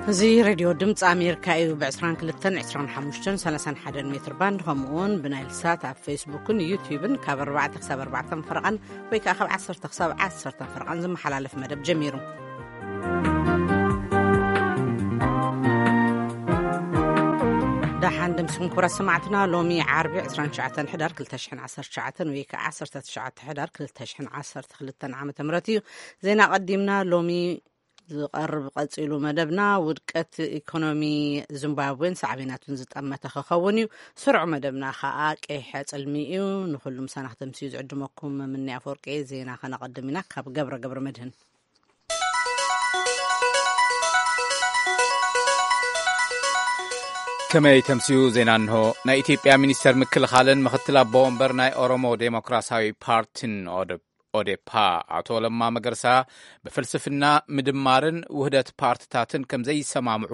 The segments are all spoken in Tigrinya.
እዚ ሬድዮ ድምፂ ኣሜሪካ እዩ። ብ22፣ 25፣ 31 ሜትር ባንድ፣ ከምኡ እውን ብናይል ሳት ኣብ ፌስቡክን ዩቲዩብን ካብ ኣርባዕተ ክሳብ ኣርባዕተ ፈረቓን፣ ወይ ከዓ ካብ ዓሰርተ ክሳብ ዓሰርተ ፈረቓን ዝመሓላለፍ መደብ ጀሚሩ። ደሓን ደምሲኹም ክቡራት ሰማዕትና። ሎሚ ዓርቢ 29 ሕዳር 2019፣ ወይ ከዓ 19 ሕዳር 2012 ዓመተ ምህረት እዩ። ዜና ቀዲምና። ሎሚ ዝቐርብ ቀጺሉ መደብና፣ ውድቀት ኢኮኖሚ ዚምባብዌን ሳዕቤናቱን ዝጠመተ ክኸውን እዩ። ስሩዕ መደብና ከኣ ቀይሐ ጽልሚ እዩ። ንኹሉ ምሳና ክተምስዩ ዝዕድመኩም ምኒ ኣፈወርቂ። ዜና ከነቐድም ኢና ካብ ገብረ ገብረ መድህን። ከመይ ተምስዩ ዜና እንሆ። ናይ ኢትዮጵያ ሚኒስተር ምክልኻልን ምኽትል ኣቦ ወንበር ናይ ኦሮሞ ዴሞክራሲያዊ ፓርቲን ኦደ-፣ ኦዴፓ ኣቶ ለማ መገርሳ ብፍልስፍና ምድማርን ውህደት ፓርትታትን ከም ዘይሰማምዑ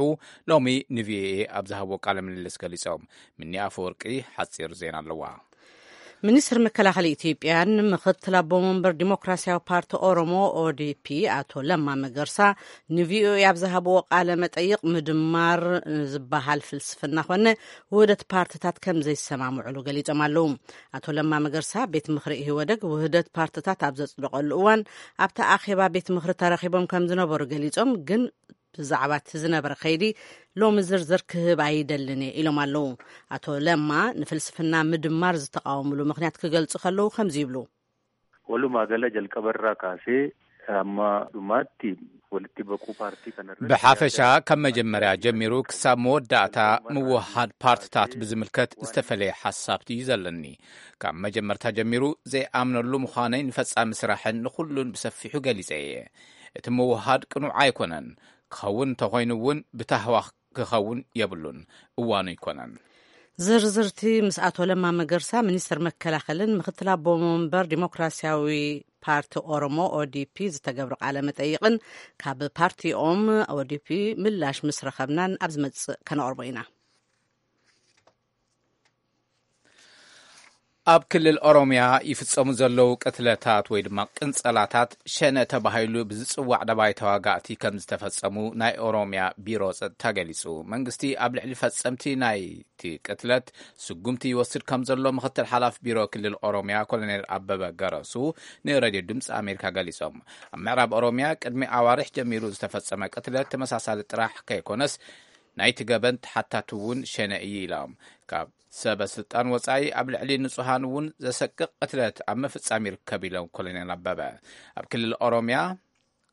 ሎሚ ንቪኦኤ ኣብ ዝሃብዎ ቃለ ምልልስ ገሊጾም። ምኒ ኣፈወርቂ ሓጺር ዜና ኣለዋ። ሚኒስትር መከላኸሊ ኢትዮጵያን ምኽትል ኣቦ መንበር ዲሞክራሲያዊ ፓርቲ ኦሮሞ ኦዲፒ ኣቶ ለማ መገርሳ ንቪኦኤ ኣብ ዝሃብዎ ቃለ መጠይቕ፣ ምድማር ዝበሃል ፍልስፍና ኮነ ውህደት ፓርትታት ከም ዘይሰማምዕሉ ገሊጾም ኣለዉ። ኣቶ ለማ መገርሳ ቤት ምኽሪ ኢህወደግ ውህደት ፓርትታት ኣብ ዘጽደቐሉ እዋን ኣብቲ ኣኼባ ቤት ምኽሪ ተረኺቦም ከም ዝነበሩ ገሊጾም፣ ግን ብዛዕባ እቲ ዝነበረ ከይዲ ሎሚ ዝርዝር ክህብ ኣይደልን እየ ኢሎም ኣለዉ። ኣቶ ለማ ንፍልስፍና ምድማር ዝተቃወምሉ ምኽንያት ክገልጹ ከለዉ ከምዚ ይብሉ። Walumaa gala jalqabarraa kaasee amma dhumaatti walitti baquu paartii kanarratti ብሓፈሻ ካብ መጀመርያ ጀሚሩ ክሳብ መወዳእታ ምውሃድ ፓርትታት ብዝምልከት ዝተፈለየ ሓሳብ እዩ ዘለኒ። ካብ መጀመርታ ጀሚሩ ዘይኣምነሉ ምዃነይ ንፈጻሚ ስራሕን ንኹሉን ብሰፊሑ ገሊጸ እየ። እቲ ምውሃድ ቅኑዕ ኣይኮነን። ክኸውን እንተኾይኑ እውን ብታህዋኽ ክኸውን የብሉን። እዋኑ ኣይኮነን። ዝርዝርቲ ምስ ኣቶ ለማ መገርሳ፣ ሚኒስትር መከላኸልን ምኽትል ኣቦ መንበር ዲሞክራሲያዊ ፓርቲ ኦሮሞ ኦዲፒ ዝተገብረ ቃለ መጠይቕን ካብ ፓርቲኦም ኦዲፒ ምላሽ ምስ ረኸብናን ኣብ ዝመጽእ ከነቕርቦ ኢና። ኣብ ክልል ኦሮምያ ይፍጸሙ ዘለዉ ቅትለታት ወይ ድማ ቅንጸላታት ሸነ ተባሂሉ ብዝጽዋዕ ደባይ ተዋጋእቲ ከም ዝተፈጸሙ ናይ ኦሮምያ ቢሮ ጸጥታ ገሊጹ። መንግስቲ ኣብ ልዕሊ ፈጸምቲ ናይቲ ቅትለት ስጉምቲ ይወስድ ከም ዘሎ ምኽትል ሓላፊ ቢሮ ክልል ኦሮምያ ኮሎኔል ኣበበ ገረሱ ንሬድዮ ድምፂ ኣሜሪካ ገሊጾም። ኣብ ምዕራብ ኦሮምያ ቅድሚ ኣዋርሕ ጀሚሩ ዝተፈጸመ ቅትለት ተመሳሳሊ ጥራሕ ከይኮነስ ናይቲ ገበን ተሓታቲ እውን ሸነ እዩ ኢሎም። ካብ ሰበ ስልጣን ወጻኢ ኣብ ልዕሊ ንጹሃን እውን ዘሰቅቕ ቅትለት ኣብ ምፍጻም ይርከብ ኢሎም ኮሎኔል ኣበበ። ኣብ ክልል ኦሮምያ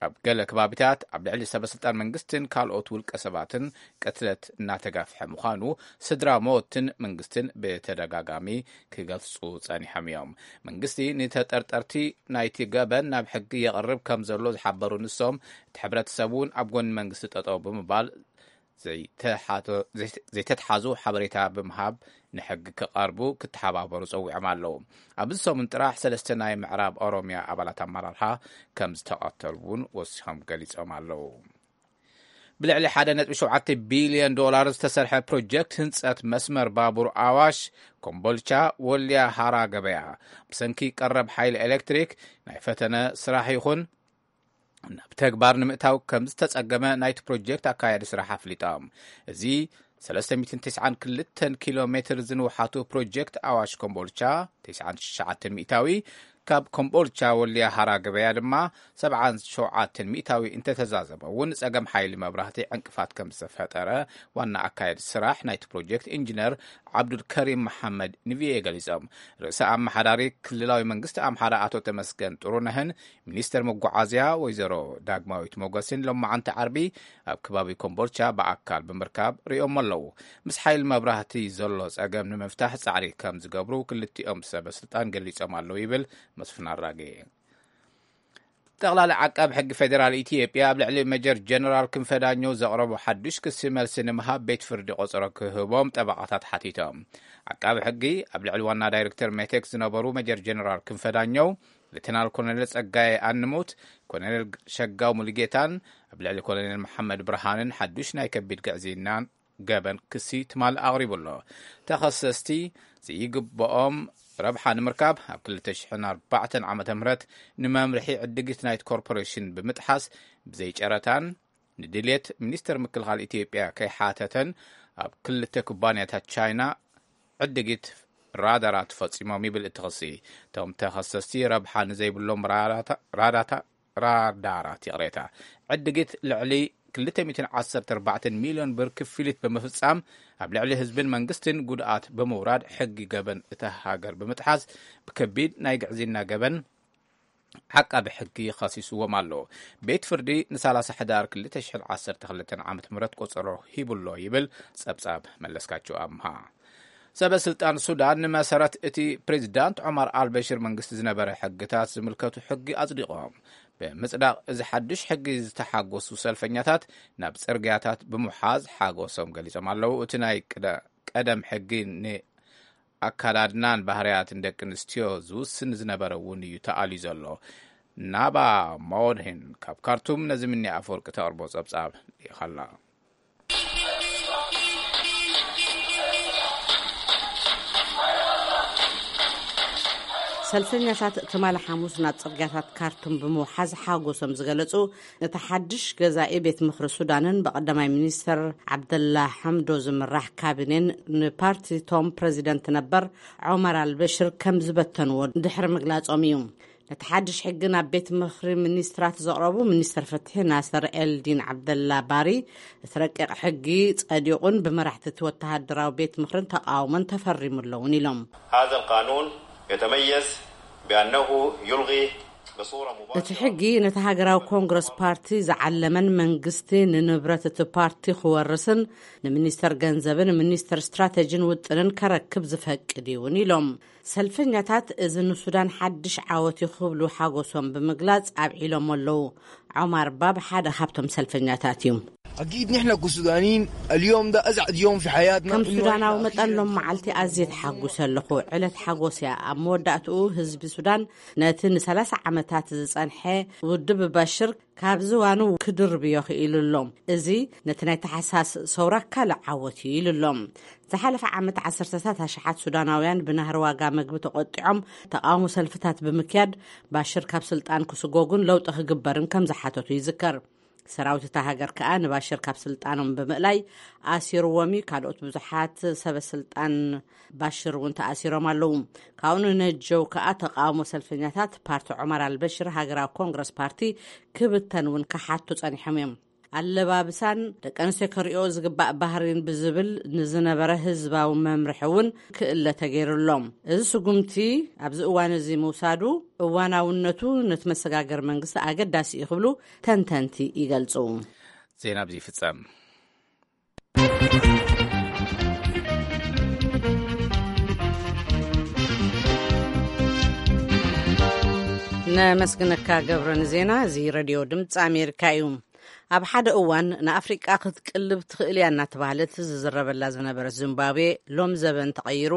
ኣብ ገለ ከባቢታት ኣብ ልዕሊ ሰበ ስልጣን መንግስትን ካልኦት ውልቀ ሰባትን ቅትለት እናተጋፍሐ ምዃኑ ስድራ ሞትን መንግስትን ብተደጋጋሚ ክገልጹ ጸኒሖም እዮም። መንግስቲ ንተጠርጠርቲ ናይቲ ገበን ናብ ሕጊ የቕርብ ከም ዘሎ ዝሓበሩ ንሶም፣ እቲ ሕብረተሰብ እውን ኣብ ጎኒ መንግስቲ ጠጠው ብምባል ዘይተሓቶ-፣ ዘይተ-፣ ዘይተተሓዙ ሓበሬታ ብምሃብ ንሕጊ ክቐርቡ ክተሓባበሩ ጸዊዖም ኣለዉ። ኣብዚ ሰሙን ጥራሕ ሰለስተ ናይ ምዕራብ ኦሮምያ ኣባላት ኣመራርሓ ከም ዝተቐተሉ እውን ወሲኾም ገሊጾም ኣለዉ። ብልዕሊ ሓደ ነጥቢ ሸውዓተ ቢልዮን ዶላር ዝተሰርሐ ፕሮጀክት ህንጸት መስመር ባቡር ኣዋሽ ኮምቦልቻ ወልያ ሃራ ገበያ ብሰንኪ ቀረብ ሓይሊ ኤሌክትሪክ ናይ ፈተነ ስራሕ ይኹን ናብ ተግባር ንምእታው ከም ዝተጸገመ ናይቲ ፕሮጀክት ኣካያዲ ስራሕ ኣፍሊጦም። እዚ ሰለስተ ሚእትን ተስዓን ክልተን ኪሎ ሜትር ዝንውሓቱ ፕሮጀክት ኣዋሽ ኮምቦልቻ ተስዓን ትሽዓተን ሚእታዊ፣ ካብ ኮምቦልቻ ወልያ ሃራ ገበያ ድማ ሰብዓን ሸውዓተን ሚእታዊ እንተተዛዘመ እውን ጸገም ሓይሊ መብራህቲ ዕንቅፋት ከም ዝተፈጠረ ዋና ኣካያዲ ስራሕ ናይቲ ፕሮጀክት ኢንጂነር ዓብዱልከሪም መሓመድ ንቪኦኤ ገሊጾም። ርእሰ ኣመሓዳሪ ክልላዊ መንግስቲ ኣምሓራ ኣቶ ተመስገን ጥሩነህን ሚኒስተር መጓዓዝያ ወይዘሮ ዳግማዊት ሞገስን ሎማዓንቲ ዓርቢ ኣብ ከባቢ ኮምቦልቻ ብኣካል ብምርካብ ርእዮም ኣለዉ። ምስ ሓይሊ መብራህቲ ዘሎ ጸገም ንምፍታሕ ጻዕሪ ከም ዝገብሩ ክልቲኦም ሰበ ስልጣን ገሊጾም ኣለዉ ይብል መስፍን ኣራጌ። ጠቕላሊ ዓቃብ ሕጊ ፌዴራል ኢትዮጵያ ኣብ ልዕሊ ሜጀር ጀነራል ክንፈ ዳኘው ዘቕረቦ ሓዱሽ ክሲ መልሲ ንምሃብ ቤት ፍርዲ ቆጸሮ ክህቦም ጠበቓታት ሓቲቶም። ዓቃቢ ሕጊ ኣብ ልዕሊ ዋና ዳይሬክተር ሜቴክ ዝነበሩ ሜጀር ጀነራል ክንፈ ዳኘው፣ ሌተናል ኮሎኔል ጸጋዬ ኣንሙት፣ ኮሎኔል ሸጋው ሙሉጌታን ኣብ ልዕሊ ኮሎኔል መሓመድ ብርሃንን ሓዱሽ ናይ ከቢድ ግዕዝይናን ገበን ክሲ ትማሊ ኣቕሪቡ ኣሎ። ተኸሰስቲ ዘይግብኦም ረብሓ ንምርካብ ኣብ ክልተ ሽሕን ኣርባዕተን ዓመተ ምህረት ንመምርሒ ዕድጊት ናይቲ ኮርፖሬሽን ብምጥሓስ ብዘይ ጨረታን ንድልየት ሚኒስተር ምክልኻል ኢትዮጵያ ከይሓተተን ኣብ ክልተ ኩባንያታት ቻይና ዕድጊት ራዳራት ፈጺሞም ይብል እቲ ክሲ። እቶም ተኸሰስቲ ረብሓ ንዘይብሎም ራዳታ- ራዳታ- ራዳራት፣ ይቕሬታ፣ ዕድጊት ልዕሊ ክልተ ሚእትን ዓሰርተ ኣርባዕተን ሚልዮን ብር ክፍሊት ብምፍጻም ኣብ ልዕሊ ህዝብን መንግስትን ጉድኣት ብምውራድ ሕጊ ገበን እታ ሃገር ብምጥሓስ ብከቢድ ናይ ግዕዝይና ገበን ዓቃቢ ሕጊ ኸሲስዎም ኣሎ። ቤት ፍርዲ ንሳላሳ ሕዳር ክልተ ሽሕን ዓሰርተ ክልተን ዓመተ ምህረት ቆጸሮ ሂቡሎ ይብል ጸብጻብ መለስካቸው ኣምሃ። ሰበ ስልጣን ሱዳን ንመሰረት እቲ ፕሬዚዳንት ዑማር ኣልበሽር መንግስቲ ዝነበረ ሕግታት ዝምልከቱ ሕጊ ኣጽዲቖም። ብምጽዳቕ እዚ ሓድሽ ሕጊ ዝተሓጎሱ ሰልፈኛታት ናብ ጽርግያታት ብምሓዝ ሓጎሶም ገሊጾም ኣለዉ። እቲ ናይ ቅደ- ቀደም ሕጊ ን ኣካዳድናን ባህርያትን ደቂ ኣንስትዮ ዝውስን ዝነበረ እውን እዩ ተኣልዩ ዘሎ። ናባ ማወድሂን ካብ ካርቱም ነዚ ምኒ ኣፈወርቂ ተቕርቦ ጸብጻብ ልኢኻላ። ሰልፈኛታት ትማሊ ሓሙስ ናብ ጽርግያታት ካርቱም ብምውሓዝ ሓጎሶም ዝገለጹ፣ ነቲ ሓድሽ ገዛኢ ቤት ምኽሪ ሱዳንን ብቐዳማይ ሚኒስተር ዓብደላ ሓምዶ ዝምራሕ ካቢኔን ንፓርቲቶም ፕረዚደንት ነበር ዖመር ኣልበሽር ከም ዝበተንዎ ድሕሪ ምግላጾም እዩ። ነቲ ሓድሽ ሕጊ ናብ ቤት ምኽሪ ሚኒስትራት ዘቕረቡ ሚኒስተር ፍትሒ ናስር ኤልዲን ዓብደላ ባሪ፣ እቲ ረቂቕ ሕጊ ጸዲቑን ብመራሕቲ እቲ ወተሃደራዊ ቤት ምኽርን ተቓውሞን ተፈሪሙ ኣለውን ኢሎም። هذا القانون يتميز بأنه يلغي بصورة مباشرة እቲ ሕጊ ነቲ ሃገራዊ ኮንግረስ ፓርቲ ዝዓለመን መንግስቲ ንንብረት እቲ ፓርቲ ክወርስን ንሚኒስተር ገንዘብን ሚኒስተር ስትራተጂን ውጥንን ከረክብ ዝፈቅድ እውን ኢሎም። ሰልፈኛታት እዚ ንሱዳን ሓድሽ ዓወት እዩ ክብሉ ሓጎሶም ብምግላጽ ኣብዒሎም ኣለዉ። ዖማር ባብ ሓደ ካብቶም ሰልፈኛታት እዩ። أكيد نحن كسودانيين اليوم ده أسعد يوم في حياتنا. ከም ሱዳናዊ መጠን ሎም መዓልቲ ኣዝየ ተሓጉሰ ኣለኹ። ዕለት ሓጎስ እያ። ኣብ መወዳእትኡ ህዝቢ ሱዳን ነቲ ንሰላሳ ዓመታት ዝጸንሐ ውድብ ባሽር ካብ ዝዋኑ ክድርብዮ ክኢሉ ኣሎ። እዚ ነቲ ናይ ተሓሳስ ሰውራ ካልእ ዓወት እዩ ኢሉ ኣሎ። ዝሓለፈ ዓመት ዓሰርተታት ኣሽሓት ሱዳናውያን ብናህሪ ዋጋ መግቢ ተቖጢዖም ተቓውሞ ሰልፍታት ብምክያድ ባሽር ካብ ስልጣን ክስጎጉን ለውጢ ክግበርን ከም ዝሓተቱ ይዝከር። ሰራዊት እታ ሃገር ከኣ ንባሽር ካብ ስልጣኖም ብምእላይ ኣሲርዎም እዩ። ካልኦት ብዙሓት ሰበ ስልጣን ባሽር እውን ተኣሲሮም ኣለዉ። ካብኡ ንነጀው ከኣ ተቃውሞ ሰልፈኛታት ፓርቲ ዑመር ኣልበሽር ሃገራዊ ኮንግረስ ፓርቲ ክብተን እውን ክሓቱ ጸኒሖም እዮም። ኣለባብሳን ደቂ ኣንስትዮ ከርእዮ ዝግባእ ባህሪን ብዝብል ንዝነበረ ህዝባዊ መምርሒ እውን ክእለ ተገይሩሎም። እዚ ስጉምቲ ኣብዚ እዋን እዚ ምውሳዱ እዋናውነቱ ነቲ መሰጋገር መንግስቲ ኣገዳሲ እዩ ክብሉ ተንተንቲ ይገልጹ። ዜና ኣብዚ ይፍጸም። ነመስግነካ ገብረ ንዜና። እዚ ሬድዮ ድምፂ ኣሜሪካ እዩ። ኣብ ሓደ እዋን ንኣፍሪቃ ክትቅልብ ትኽእል እያ እናተባህለት ዝዝረበላ ዝነበረት ዚምባብዌ ሎም ዘበን ተቐይሩ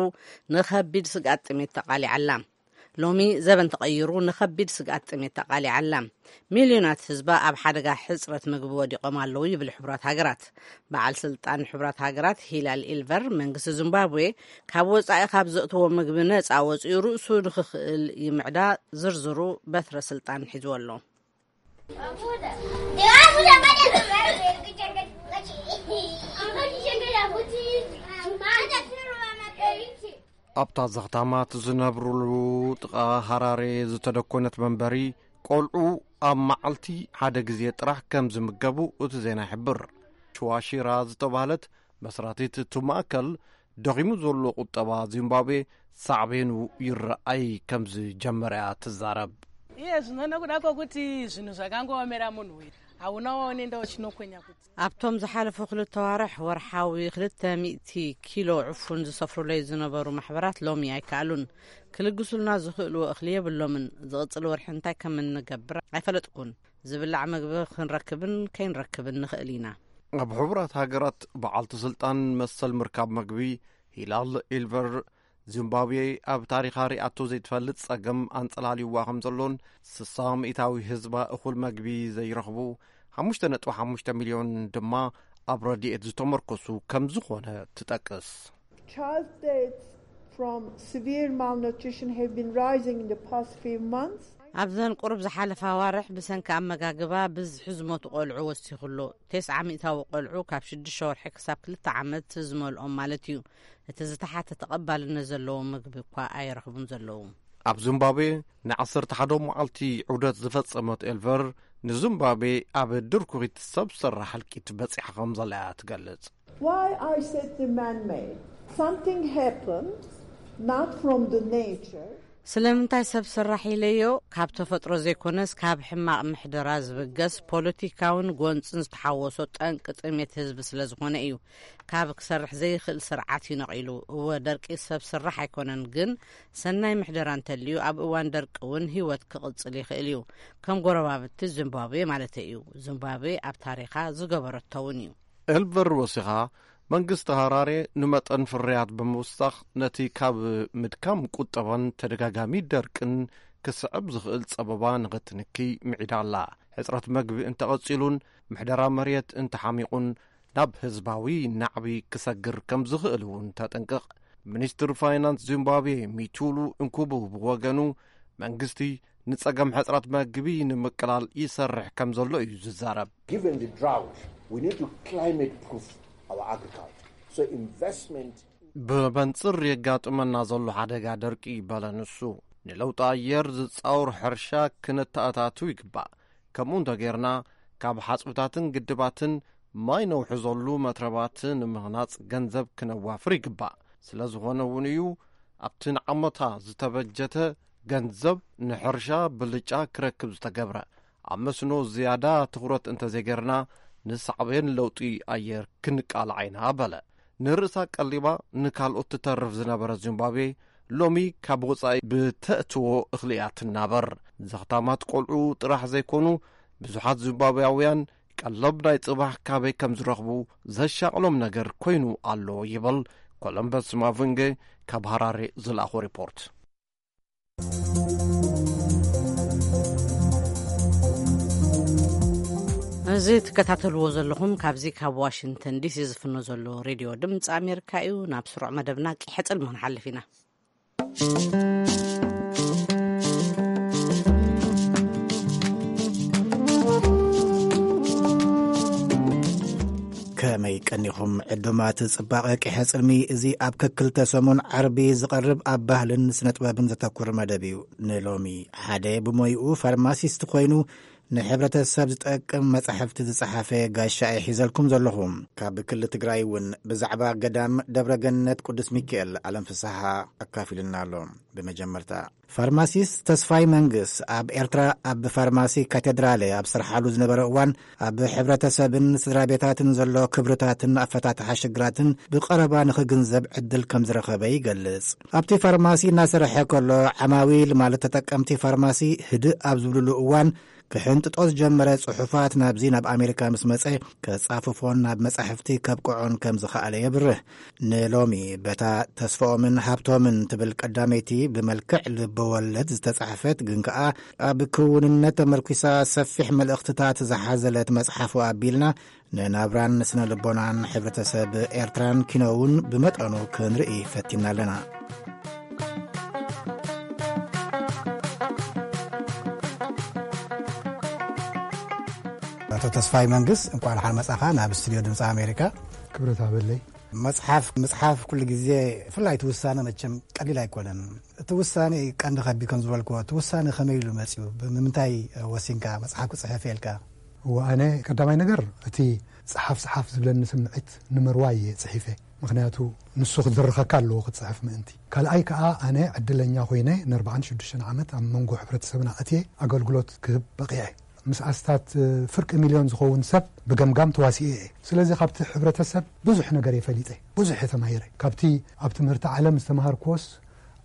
ንኸቢድ ስግኣት ጥሜት ተቓሊዓላ። ሎሚ ዘበን ተቐይሩ ንኸቢድ ስግኣት ጥሜት ተቓሊዓላ። ሚልዮናት ህዝባ ኣብ ሓደጋ ሕፅረት ምግቢ ወዲቖም ኣለዉ ይብል ሕቡራት ሃገራት። በዓል ስልጣን ሕቡራት ሃገራት ሂላል ኢልቨር መንግስቲ ዚምባብዌ ካብ ወፃኢ ካብ ዘእትዎ ምግቢ ነፃ ወፂኡ ርእሱ ንክኽእል ይምዕዳ። ዝርዝሩ በትረ ስልጣን ሒዝዎ ኣሎ። ኣብታ ዘኽታማት ዝነብሩሉ ጥቓ ሃራሬ ዝተደኮነት መንበሪ ቆልዑ ኣብ መዓልቲ ሓደ ግዜ ጥራሕ ከም ዝምገቡ እቲ ዜና ይሕብር። ሽዋሺራ ዝተባህለት መስራቲት እቲ ማእከል ደኺሙ ዘሎ ቁጠባ ዚምባብዌ ሳዕቤኑ ይረኣይ ከም ዝጀመረ እያ ትዛረብ። Iye zvinoona kuda kwokuti zvinhu zvakangoomera munhu uyu hauna waunenda uchinokwenya kuti ኣብቶም ዝሓለፉ ክልተ ዋርሕ ወርሓዊ ክልተ ሚእቲ ኪሎ ዕፉን ዝሰፍሩለይ ዝነበሩ ማሕበራት ሎሚ ኣይከኣሉን። ክልግሱልና ዝኽእልዎ እኽሊ የብሎምን። ዝቕጽል ወርሒ እንታይ ከም እንገብር ኣይፈለጥኩን። ዝብላዕ መግቢ ክንረክብን ከይንረክብን ንኽእል ኢና። ኣብ ሕቡራት ሃገራት በዓልቲ ስልጣን መሰል ምርካብ መግቢ ሂላል ኢልቨር ዚምባብዌ ኣብ ታሪኻ ሪኣቶ ዘይትፈልጥ ጸገም ኣንጸላልይዋ ከም ዘሎን ስሳ ሚእታዊ ህዝባ እኹል መግቢ ዘይረኽቡ ሓሙሽተ ነጥቢ ሓሙሽተ ሚልዮን ድማ ኣብ ረድኤት ዝተመርኮሱ ከም ዝኾነ ትጠቅስ። Child deaths from severe malnutrition have been rising in the past few months. ኣብዘን ቁሩብ ዝሓለፋ ኣዋርሕ ብሰንኪ ኣመጋግባ ብዝሒ ዝሞቱ ቆልዑ ወሲኹ ኣሎ። ተስዓ ሚእታዊ ቆልዑ ካብ ሽዱሽተ ወርሒ ክሳብ ክልተ ዓመት ዝመልኦም ማለት እዩ። እቲ ዝተሓተ ተቐባልነት ዘለዎ ምግቢ እኳ ኣይረኽቡን ዘለዉ። ኣብ ዚምባብዌ ንዓሰርተ ሓደ መዓልቲ ዑደት ዝፈጸመት ኤልቨር፣ ንዚምባብዌ ኣብ ድርኩኺት ሰብ ሰራሕ ህልቂት በጺሓ ከም ዘላ እያ ትገልጽ። Why I said the man-made? Something happened, not from the nature. ስለምንታይ ሰብ ሰራሕ ኢለዮ? ካብ ተፈጥሮ ዘይኮነስ ካብ ሕማቕ ምሕደራ ዝብገስ ፖለቲካውን ጎንጽን ዝተሓወሶ ጠንቂ ጥሜት ህዝቢ ስለ ዝኾነ እዩ። ካብ ክሰርሕ ዘይኽእል ስርዓት እዩ ነቒሉ። እወ፣ ደርቂ ሰብ ስራሕ ኣይኮነን፣ ግን ሰናይ ምሕደራ እንተልዩ ኣብ እዋን ደርቂ እውን ህይወት ክቕጽል ይኽእል እዩ። ከም ጎረባብቲ ዚምባብዌ ማለተይ እዩ። ዚምባብዌ ኣብ ታሪኻ ዝገበረቶ እውን እዩ። ኤልቨር ወሲኻ፣ መንግስቲ ሃራሬ ንመጠን ፍርያት ብምውሳኽ ነቲ ካብ ምድካም ቁጠባን ተደጋጋሚ ደርቅን ክስዕብ ዝኽእል ጸበባ ንኽትንኪ ምዒዳ ኣላ። ሕጽረት መግቢ እንተቐጺሉን ምሕደራ መሬት እንተሓሚቑን ናብ ህዝባዊ ናዕቢ ክሰግር ከም ዝኽእል እውን ተጠንቅቕ። ሚኒስትር ፋይናንስ ዚምባብዌ ሚቱሉ እንኩቡ ብወገኑ፣ መንግስቲ ንጸገም ሕጽረት መግቢ ንምቅላል ይሰርሕ ከም ዘሎ እዩ ዝዛረብ። Given the drought, we need to climate proof our agriculture. So investment ብመንጽር የጋጥመና ዘሎ ሓደጋ ደርቂ በለ ንሱ፣ ንለውጢ ኣየር ዝጻወር ሕርሻ ክነተኣታቱ ይግባእ። ከምኡ እንተጌርና፣ ካብ ሓጹብታትን ግድባትን ማይ ነውሕዘሉ መትረባት ንምህናጽ ገንዘብ ክነዋፍር ይግባእ። ስለ ዝኾነ እውን እዩ ኣብቲ ንዓመታ ዝተበጀተ ገንዘብ ንሕርሻ ብልጫ ክረክብ ዝተገብረ። ኣብ መስኖ ዝያዳ ትኹረት እንተዘይገርና፣ ንሳዕቤን ለውጢ ኣየር ክንቃላዕ ኢና በለ። ንርእሳ ቀሊባ ንካልኦት ትተርፍ ዝነበረት ዚምባብዌ፣ ሎሚ ካብ ወጻኢ ብተእትዎ እኽሊ እያ ትናበር። ዘኽታማት ቆልዑ ጥራሕ ዘይኮኑ፣ ብዙሓት ዚምባብያውያን ቀለብ ናይ ጽባሕ ካበይ ከም ዝረኽቡ ዘሻቕሎም ነገር ኮይኑ ኣሎ ይብል ኮሎምበስ ማቭንጌ ካብ ሃራሬ ዝለኣኾ ሪፖርት። እዚ ትከታተልዎ ዘለኹም ካብዚ ካብ ዋሽንግተን ዲሲ ዝፍኖ ዘሎ ሬድዮ ድምፂ ኣሜሪካ እዩ። ናብ ስሩዕ መደብና ቂሐ ጽልሚ ክንሓልፍ ኢና። ከመይ ቀኒኹም ዕዱማት ጽባቐ ቂሐ ጽልሚ? እዚ ኣብ ከክልተ ሰሙን ዓርቢ ዝቐርብ ኣብ ባህልን ስነ ጥበብን ዘተኩር መደብ እዩ። ንሎሚ ሓደ ብሞይኡ ፋርማሲስት ኮይኑ ንሕብረተሰብ ዝጠቅም መጻሕፍቲ ዝጸሓፈ ጋሻ እየ ሒዘልኩም ዘለኹ። ካብ ክሊ ትግራይ እውን ብዛዕባ ገዳም ደብረ ገነት ቅዱስ ሚካኤል ኣለም ፍስሓ ኣካፊሉና ኣሎ። ብመጀመርታ ፋርማሲስት ተስፋይ መንግስ ኣብ ኤርትራ ኣብ ፋርማሲ ካቴድራለ ኣብ ስርሓሉ ዝነበረ እዋን ኣብ ሕብረተሰብን ስድራ ቤታትን ዘሎ ክብርታትን ኣፈታትሓ ሽግራትን ብቐረባ ንኽግንዘብ ዕድል ከም ዝረኸበ ይገልጽ። ኣብቲ ፋርማሲ እናሰርሐ ከሎ ዓማዊል ማለት ተጠቀምቲ ፋርማሲ ህድእ ኣብ ዝብልሉ እዋን ክሕንጥጦ ዝጀመረ ጽሑፋት ናብዚ ናብ ኣሜሪካ ምስ መጸ ከጻፍፎን ናብ መጻሕፍቲ ከብቅዖን ከም ዝኸኣለ የብርህ። ንሎሚ በታ ተስፋኦምን ሃብቶምን ትብል ቀዳመይቲ ብመልክዕ ልበወለድ ዝተጻሕፈት ግን ከኣ ኣብ ክውንነት ተመርኲሳ ሰፊሕ መልእኽትታት ዝሓዘለት መጽሓፉ ኣቢልና ንናብራን ስነ ልቦናን ሕብረተሰብ ኤርትራን ኪኖውን ብመጠኑ ክንርኢ ፈቲና ኣለና። ኣቶ ተስፋይ መንግስ፣ እንኳዕ ደሓን መጻኻ ናብ ስቱድዮ ድምፂ ኣሜሪካ። ክብረት ሃበለይ። መጽሓፍ ምጽሓፍ ኩሉ ግዜ፣ ብፍላይ እቲ ውሳነ መቸም ቀሊል ኣይኮነን። እቲ ውሳነ ቀንዲ ከቢድ ከም ዝበልክዎ፣ እቲ ውሳነ ከመይ ኢሉ መጽዩ? ብምንታይ ወሲንካ መጽሓፍ ክጽሕፍ ኢልካ? እወ፣ ኣነ ቀዳማይ ነገር እቲ ጸሓፍ ጸሓፍ ዝብለኒ ስምዒት ንምርዋይ እየ ጽሒፈ። ምኽንያቱ ንሱ ክትድርኸካ ኣለዎ ክትጽሕፍ ምእንቲ። ካልኣይ ከኣ ኣነ ዕድለኛ ኮይነ ንኣርባዓን ሽዱሽተን ዓመት ኣብ መንጎ ሕብረተሰብና ኣትየ ኣገልግሎት ክህብ በቒዐ። ምስ ኣስታት ፍርቂ ሚልዮን ዝኸውን ሰብ ብገምጋም ተዋሲኤ እየ። ስለዚ ካብቲ ሕብረተሰብ ብዙሕ ነገር እየ ፈሊጠ፣ ብዙሕ እየ ተማሂረ። ካብቲ ኣብ ትምህርቲ ዓለም ዝተምሃርክዎስ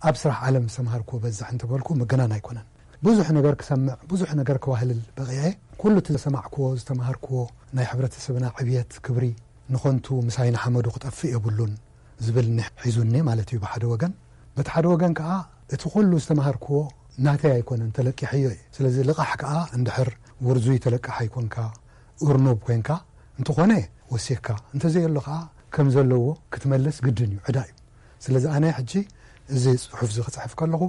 ኣብ ስራሕ ዓለም ዝተምሃርክዎ በዝሕ እንተበልኩ ምግናን ኣይኮነን። ብዙሕ ነገር ክሰምዕ፣ ብዙሕ ነገር ክዋህልል በቒዐ። ኩሉ እቲ ዝሰማዕክዎ፣ ዝተምሃርክዎ ናይ ሕብረተሰብና ዕብየት፣ ክብሪ ንኸንቱ ምሳይ ንሓመዱ ክጠፍእ የብሉን ዝብል ኒሕ ሒዙኒ ማለት እዩ ብሓደ ወገን። በቲ ሓደ ወገን ከኣ እቲ ኩሉ ዝተምሃርክዎ ናተይ ኣይኮነን፣ ተለቂሐዮ እየ። ስለዚ ልቓሕ ከኣ እንድሕር ውርዙይ ተለቃሓይ ኮንካ፣ እርኑብ ኮንካ፣ እንተኾነ ወሲኽካ፣ እንተዘየሎ ከኣ ከም ዘለዎ ክትመልስ ግድን እዩ፣ ዕዳ እዩ። ስለዚ ኣነ ሕጂ እዚ ጽሑፍ እዚ ክጽሕፍ ከለኹ፣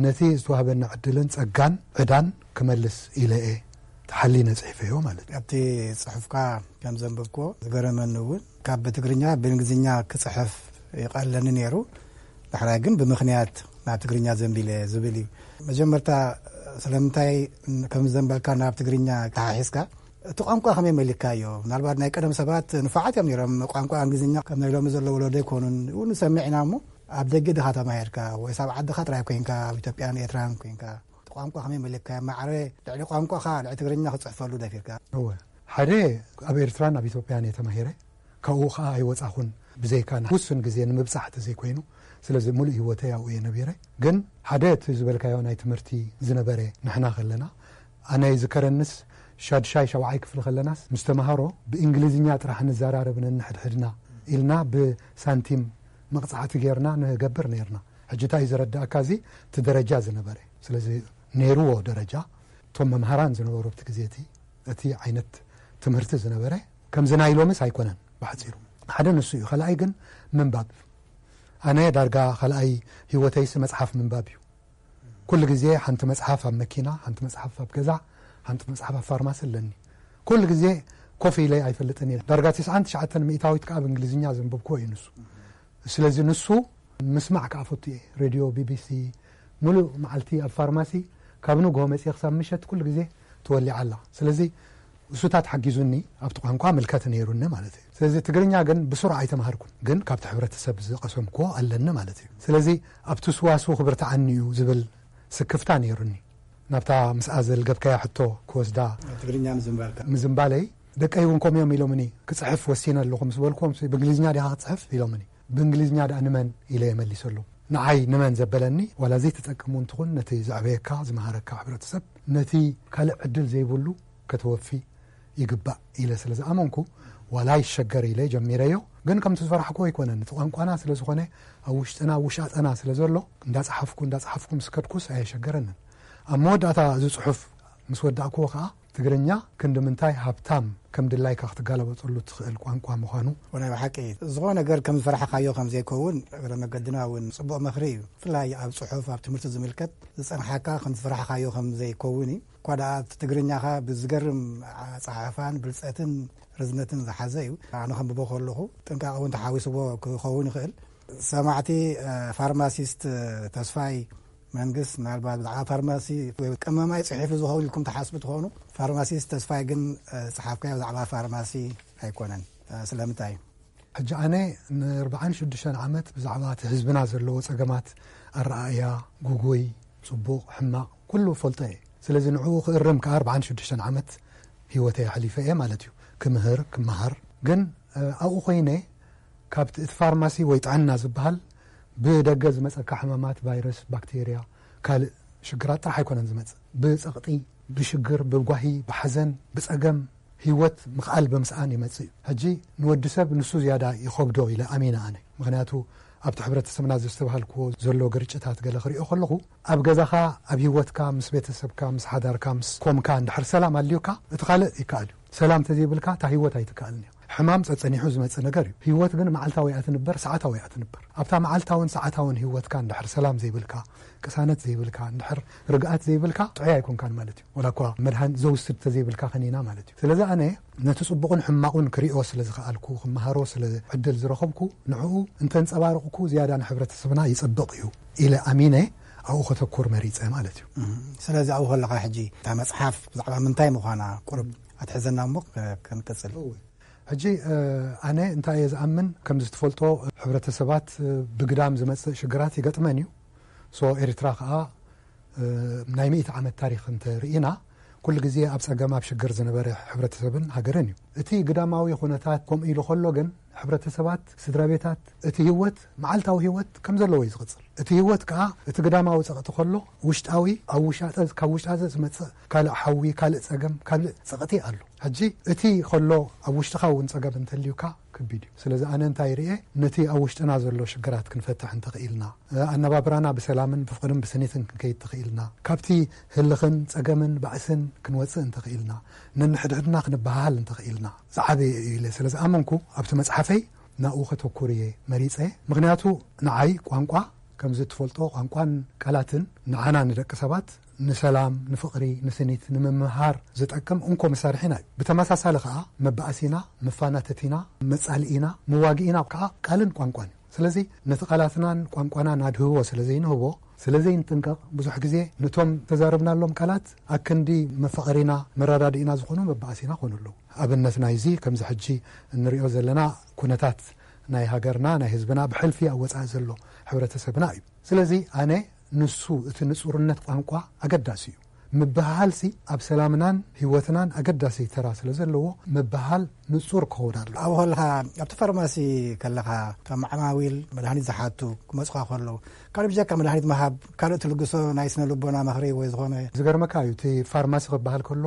ነቲ ዝተዋህበኒ ዕድልን ጸጋን ዕዳን ክመልስ ኢለ እየ ተሓሊነ ጽሒፈዮ ማለት እዩ። ኣብቲ ጽሑፍካ ከም ዘንበብክዎ ዝገረመኒ እውን፣ ካብ ትግርኛ ብእንግሊዝኛ ክጽሕፍ ይቐለኒ ነይሩ። ዳሕራይ ግን ብምኽንያት ናብ ትግርኛ ዘንቢለ ዝብል እዩ። መጀመርታ ስለምንታይ ከም ዘንበልካ ናብ ትግርኛ ተሓሒዝካ፣ እቲ ቋንቋ ከመይ መሊካዮ? ምናልባት ናይ ቀደም ሰባት ንፉዓት እዮም ነይሮም። ቋንቋ እንግሊዝኛ ከም ናይ ሎሚ ዘሎ ወለዶ ኣይኮኑን። እውን ንሰምዕ ኢና እሞ፣ ኣብ ደገ ድኻ ተማሂርካ ወይስ ኣብ ዓድኻ ጥራይ ኮይንካ፣ ኣብ ኢትዮጵያን ኤርትራን ኮይንካ፣ እቲ ቋንቋ ከመይ መሊካዮ? ማዕረ ልዕሊ ቋንቋኻ፣ ልዕሊ ትግርኛ ክትጽሕፈሉ ደፊርካ? እወ፣ ሓደ፣ ኣብ ኤርትራን ኣብ ኢትዮጵያን እየ ተማሂረ። ካብኡ ኸኣ ኣይወጻኹን፣ ብዘይካ ውሱን ግዜ ንምብጻሕ ተዘይኮይኑ። ስለዚ ምሉእ ህይወተይ ኣብኡ እየ ነቢረ። ግን ሓደ፣ እቲ ዝበልካዮ ናይ ትምህርቲ ዝነበረ፣ ንሕና ከለና፣ ኣነ ይዝከረንስ፣ ሻድሻይ ሻብዓይ ክፍሊ ከለናስ፣ ምስ ተማሃሮ ብእንግሊዝኛ ጥራሕ ንዘራረብ ነንሕድሕድና ኢልና ብሳንቲም መቕጻዕቲ ጌርና ንገብር ኔርና። ሕጂ እንታይ እዩ ዘረዳእካ? እዚ እቲ ደረጃ ዝነበረ፣ ስለዚ ነይርዎ ደረጃ፣ እቶም መምሃራን ዝነበሩ ኣብቲ ግዜ እቲ፣ እቲ ዓይነት ትምህርቲ ዝነበረ፣ ከምዚ ናይ ሎምስ ኣይኮነን። ብሓጺሩ ሓደ ንሱ እዩ። ካልኣይ ግን ምንባብ። ኣነ ዳርጋ ካልኣይ ህይወተይሲ መጽሓፍ ምንባብ እዩ። ኩሉ ግዜ ሓንቲ መጽሓፍ ኣብ መኪና፣ ሓንቲ መጽሓፍ ኣብ ገዛ፣ ሓንቲ መጽሓፍ ኣብ ፋርማሲ ኣለኒ። ኩሉ ግዜ ኮፍ ኢለ ኣይፈልጥን እየ። ዳርጋ ትስዓን ትሽዓተን ሚእታዊት ከኣ ብእንግሊዝኛ ዘንበብክዎ እዩ ንሱ። ስለዚ ንሱ ምስማዕ ከኣ ፈቱ እየ። ሬድዮ ቢቢሲ፣ ሙሉእ መዓልቲ ኣብ ፋርማሲ፣ ካብ ንግሆ መጺኤ ክሳብ ምሸት ኩሉ ግዜ ተወሊዓ ኣላ። ስለዚ እሱታት ሓጊዙኒ፣ ኣብቲ ቋንቋ ምልከት ነይሩኒ ማለት እዩ። ስለዚ ትግርኛ ግን ብስሩዕ ኣይተማሃርኩን፣ ግን ካብቲ ሕብረተሰብ ዝቐሰምክዎ ኣለኒ ማለት እዩ። ስለዚ ኣብቲ ስዋስው ክብርትዓኒ እዩ ዝብል ስክፍታ ነይሩኒ። ናብታ ምስኣ ዘልገብካያ ሕቶ ክወስዳ ትግርኛ ምዝንባልካ። ምዝንባለይ፣ ደቀይ እውን ከምኡ እዮም ኢሎምኒ። ክጽሕፍ ወሲነ ኣለኹ ምስ በልኩዎም፣ "ብእንግሊዝኛ ዲኻ ክትጽሕፍ?" ኢሎምኒ። "ብእንግሊዝኛ ደኣ ንመን?" ኢለ እየ መሊሰሎም። ንዓይ ንመን ዘበለኒ፣ ዋላ ዘይትጠቅም እውን ትኹን፣ ነቲ ዘዕበየካ፣ ዝመሃረካ ሕብረተሰብ፣ ነቲ ካልእ ዕድል ዘይብሉ ከተወፊ ይግባእ ኢለ ስለ ዝኣመንኩ፣ ዋላ ይሸገር ኢለ ጀሚረዮ። ግን ከምቲ ዝፈራሕኩዎ ኣይኮነን። እቲ ቋንቋና ስለ ዝኾነ፣ ኣብ ውሽጥና፣ ኣብ ውሻጠና ስለ ዘሎ፣ እንዳጸሓፍኩ፣ እንዳጸሓፍኩ ምስ ከድኩስ ኣየሸገረንን። ኣብ መወዳእታ እዚ ጽሑፍ ምስ ወዳእኩዎ ከኣ፣ ትግርኛ ክንዲ ምንታይ ሃብታም፣ ከም ድላይካ ክትጋለበጠሉ ትኽእል ቋንቋ ምዃኑ። ወናይ ብሓቂ፣ ዝኾነ ነገር ከም ዝፈራሕካዮ ከም ዘይከውን እግረ መገድና እውን ጽቡቕ ምኽሪ እዩ። ብፍላይ ኣብ ጽሑፍ፣ ኣብ ትምህርቲ ዝምልከት ዝጸንሓካ ከም ዝፈራሕካዮ ከም ዘይከውን እዩ። እኳ ደኣ እቲ ትግርኛኻ ብዝገርም ኣጸሓሕፋን ብልጸትን ርዝነትን ዝሓዘ እዩ። ኣነ ከንብቦ ከለኹ ጥንቃቐ እውን ተሓዊስዎ ክኸውን ይኽእል። ሰማዕቲ፣ እ፣ ፋርማሲስት ተስፋይ መንግስት፣ ምናልባት ብዛዕባ ፋርማሲ ወይ ቀመማይ ጽሒፉ ዝኸውን ኢልኩም ትሓስቡ ትኾኑ። ፋርማሲስት ተስፋይ ግን፣ እ፣ ዝጸሓፍካዮ ብዛዕባ ፋርማሲ ኣይኮነን። እ፣ ስለምንታይ? ሕጂ ኣነ ንኣርብዓን ሽዱሽተን ዓመት ብዛዕባ እቲ ህዝብና ዘለዎ ጸገማት፣ ኣረኣእያ፣ ጉጉይ፣ ጽቡቕ፣ ሕማቕ፣ ኩሉ እፈልጦ እየ። ስለዚ ንዕኡ ክእርም ከኣ ኣርብዓን ሽዱሽተን ዓመት ህይወተይ ኣሕሊፈ እየ ማለት እዩ። ክምህር፣ ክመሃር። ግን፣ እ፣ ኣብኡ ኮይነ ካብቲ እቲ ፋርማሲ ወይ ጥዕና ዝበሃል ብደገ ዝመጸካ ሕማማት፣ ቫይረስ፣ ባክቴርያ፣ ካልእ ሽግራት ጥራሕ ኣይኮነን ዝመጽእ። ብጸቕጢ፣ ብሽግር፣ ብጓሂ፣ ብሓዘን፣ ብጸገም፣ ህይወት ምኽኣል ብምስኣን ይመጽእ እዩ። ሕጂ ንወዲ ሰብ ንሱ ዝያዳ ይኸብዶ ኢለ ኣሚነ ኣነ። ምኽንያቱ ኣብቲ ሕብረተሰብና ዘስተብሃልክዎ ዘሎ ግርጭታት ገለ ክሪኦ ከለኹ፣ ኣብ ገዛኻ፣ ኣብ ህይወትካ፣ ምስ ቤተሰብካ፣ ምስ ሓዳርካ፣ ምስ ኮምካ እንድሕር ሰላም ኣልዩካ፣ እቲ ካልእ ይከኣል እዩ። ሰላም ተዘይብልካ እታ ህይወት ኣይትከኣልን እያ። ሕማም ጸጸኒሑ ዝመጽእ ነገር እዩ። ህይወት ግን መዓልታዊ እያ ትንበር፣ ሰዓታዊ እያ ትንበር። ኣብታ መዓልታውን ሰዓታውን ህይወትካ እንድሕር ሰላም ዘይብልካ፣ ቅሳነት ዘይብልካ፣ እንድሕር ርግኣት ዘይብልካ፣ ጥዑይ ኣይኮንካን ማለት እዩ። ወላ እኳ መድሃኒት ዘውስድ ተዘይብልካ ከኒና ማለት እዩ። ስለዚ ኣነ ነቲ ጽቡቕን ሕማቑን ክሪኦ ስለ ዝኸኣልኩ፣ ክመሃሮ ስለ ዕድል ዝረኸብኩ፣ ንዕኡ እንተንጸባረቕኩ ዝያዳ ንሕብረተሰብና ይጸብቕ እዩ ኢለ ኣሚነ ኣብኡ ከተኩር መሪጸ ማለት እዩ። እም፣ ስለዚ ኣብኡ ከለኻ ሕጂ እታ መጽሓፍ ብዛዕባ ምንታይ ምዃና ቁሩብ ኣትሕዘና እሞ ከ-፣ ክንቅጽል። እወ። ሕጂ፣ እ፣ ኣነ እንታይ እየ ዝኣምን፣ ከም ዝትፈልጦ ሕብረተሰባት፣ እ፣ ብግዳም ዝመጽእ ሽግራት ይገጥመን እዩ። ሶ ኤርትራ ከኣ፣ እ፣ ናይ ሚእቲ ዓመት ታሪኽ እንተ ርኢና፣ ኩሉ ግዜ ኣብ ጸገም፣ ኣብ ሽግር ዝነበረ ሕብረተሰብን ሃገርን እዩ። እቲ ግዳማዊ ኩነታት ከምኡ ኢሉ ከሎ ግን፣ ሕብረተሰባት፣ ስድራ ቤታት፣ እቲ ህይወት፣ መዓልታዊ ህይወት ከም ዘለዎ እዩ ዝቕጽል። እቲ ህይወት ከኣ፣ እቲ ግዳማዊ ጸቕጢ ከሎ፣ ውሽጣዊ፣ ኣብ ውሻጠ፣ ካብ ውሻጠ ዝመጽእ ካልእ ሓዊ፣ ካልእ ጸገም፣ ካልእ ጸቕጢ ኣሎ። ሕጂ እቲ ከሎ ኣብ ውሽጥኻ እውን ጸገም እንተልዩካ ከቢድ እዩ። ስለዚ ኣነ እንታይ ርኤ፣ ነቲ ኣብ ውሽጥና ዘሎ ሽግራት ክንፈትሕ እንተኽኢልና፣ ኣነባብራና ብሰላምን ብፍቕርን ብስኒትን ክንከይድ ተኽኢልና፣ ካብቲ ህልኽን ጸገምን ባእስን ክንወጽእ እንተኽኢልና፣ ነንሕድሕድና ክንበሃሃል እንተኽኢልና፣ ዝዓበየ እዩ ኢለ ስለ ዝኣመንኩ ኣብቲ መጽሓፈይ ናብኡ ከተኩር እየ መሪጸ። ምኽንያቱ ንዓይ ቋንቋ ከምዚ እትፈልጦ፣ ቋንቋን ቃላትን ንዓና ንደቂ ሰባት ንሰላም፣ ንፍቕሪ፣ ንስኒት ንምምሃር ዝጠቅም እንኮ መሳርሒና እዩ። ብተመሳሳሊ ከኣ መባእሲና፣ መፋናተቲና፣ መጻልኢና፣ መዋግኢና ከኣ ቃልን ቋንቋን እዩ። ስለዚ ነቲ ቃላትናን ቋንቋናን ኣድህቦ ስለ ዘይንህቦ፣ ስለ ዘይንጥንቀቕ፣ ብዙሕ ግዜ ነቶም ተዛረብናሎም ቃላት ኣክንዲ መፋቐሪና፣ መረዳድኢና ዝኾኑ መባእሲና ኮኑ ኣለዉ። ኣብነት ናይዚ ከምዚ ሕጂ እንሪኦ ዘለና ኩነታት ናይ ሃገርና፣ ናይ ህዝብና ብሕልፊ ኣብ ወጻኢ ዘሎ ሕብረተሰብና እዩ። ስለዚ ኣነ ንሱ እቲ ንጹርነት ቋንቋ ኣገዳሲ እዩ። ምብህሃልሲ ኣብ ሰላምናን ህይወትናን ኣገዳሲ ተራ ስለ ዘለዎ ምብህሃል ንጹር ክኸውን ኣሎ። ኣብ ሆልኻ ኣብቲ ፋርማሲ ከለኻ ካብ ዓማዊል መድሃኒት ዝሓቱ ክመጹኻ ከለዉ ካልእ ብጀካ መድሃኒት ምሃብ ካልእ ትልግሶ ናይ ስነ ልቦና ምኽሪ ወይ ዝኾነ ዝገርመካ እዩ። እቲ ፋርማሲ ክበሃል ከሎ